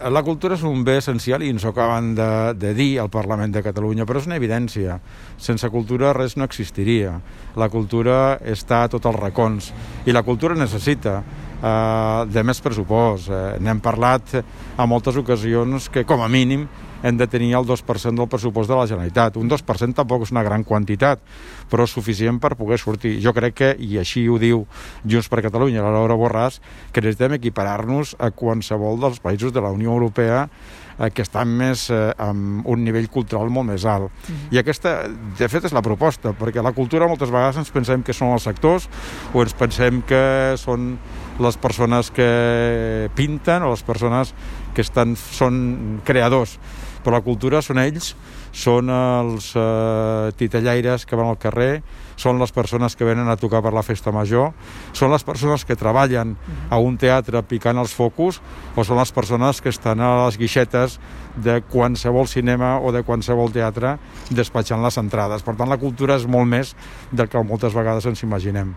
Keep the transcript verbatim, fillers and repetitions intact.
la cultura és un bé essencial i ens ho acaben de, de dir al Parlament de Catalunya, però és una evidència. Sense cultura res no existiria. La cultura està a tots els racons i la cultura necessita eh, de més pressupost. Eh, N'hem parlat a moltes ocasions que, com a mínim, hem de tenir el dos per cent del pressupost de la Generalitat. Un dos per cent tampoc és una gran quantitat, però és suficient per poder sortir. Jo crec que, i així ho diu Junts per Catalunya, la Laura Borràs, que necessitem equiparar-nos a qualsevol dels països de la Unió Europea eh, que estan més eh, amb un nivell cultural molt més alt. Mm-hmm. I aquesta, de fet, és la proposta, perquè la cultura moltes vegades ens pensem que són els actors o ens pensem que són les persones que pinten o les persones que estan, són creadors, però la cultura són ells, són els eh, titellaires que van al carrer, són les persones que venen a tocar per la festa major, són les persones que treballen a un teatre picant els focus, o són les persones que estan a les guixetes de qualsevol cinema o de qualsevol teatre despatxant les entrades. Per tant, la cultura és molt més del que moltes vegades ens imaginem.